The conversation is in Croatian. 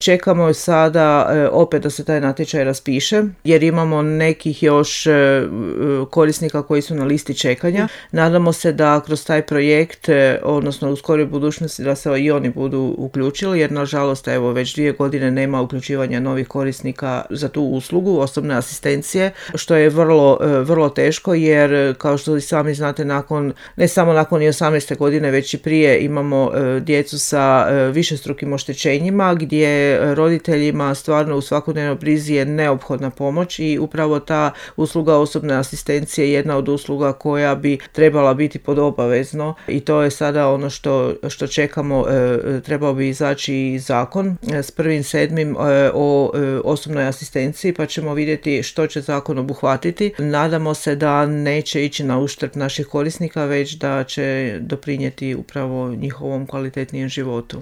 Čekamo sada opet da se taj natječaj raspiše, jer imamo nekih još korisnika koji su na listi čekanja. Nadamo se da kroz taj projekt, odnosno u skoroj budućnosti, da se i oni budu uključili, jer nažalost evo već 2 godine nema uključivanja novih korisnika za tu uslugu osobne asistencije, što je vrlo teško, jer kao što i sami znate, ne samo nakon 18. godine, već i prije imamo djecu sa višestrukim oštećenjima, gdje roditeljima stvarno u svakodnevnoj brizi je neophodna pomoć i upravo ta usluga osobne asistencije je jedna od usluga koja bi trebala biti pod obavezno i to je sada ono što čekamo. Trebao bi izaći i zakon s 1.7. O osobnoj asistenciji, pa ćemo vidjeti što će zakon obuhvatiti. Nadamo se da neće ići na uštrb naših korisnika, već da će doprinijeti upravo njihovom kvalitetnijem životu.